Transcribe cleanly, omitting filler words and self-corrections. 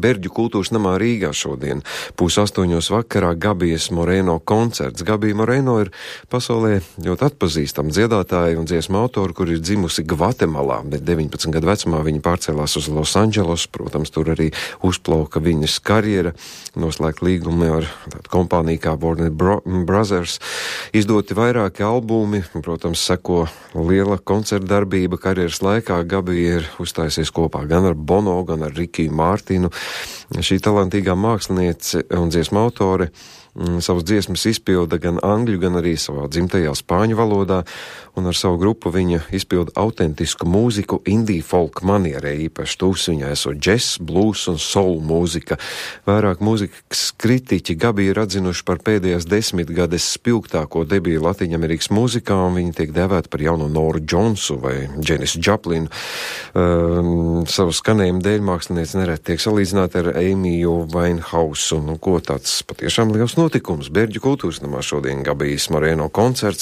Berģu kultūras namā Rīgā šodien. 7:30 vakarā Gabijas Moreno koncerts. Gabija Moreno ir pasaulē ļoti atpazīstama dziedātāja un dziesmu autora, kur ir dzimusi Gvatemalā, bet 19 gadu vecumā viņa pārcēlās uz Losandželosu. Protams, tur arī uzplauka viņas karjera, noslēgt līgumi ar tādu kompāniju kā Warner Brothers, izdoti vairāki albumi, un, protams, seko liela koncerta darbība karjeras laikā. Gabija ir uzstājusies kopā gan ar Bono, gan ar Rikiju Mārtinu. Šī talantīgā māksliniece un dziesmu autore savas dziesmas izpilda gan angļu, gan arī savā dzimtajā spāņu valodā, un ar savu grupu viņa izpilda autentisku mūziku indie folk manierē, īpaši tūs viņai esot džess, blues un soul mūzika. Vairāk mūzikas kritiķi Gabiju ir atzinuši par pēdējās 10 gades spilgtāko debiju Latviņamerikas mūzikā, un viņi tiek dēvēti par jauno Noru Džonsu vai Dženisu Džaplinu. Savu skanējumu dēļ mākslinieci nereti tiek salīdzināti ar Eimiju Vainhausu, un ko tāds patiešām liels notikums. Berģu kultūras namā šodien Gabijas Moreno koncerts.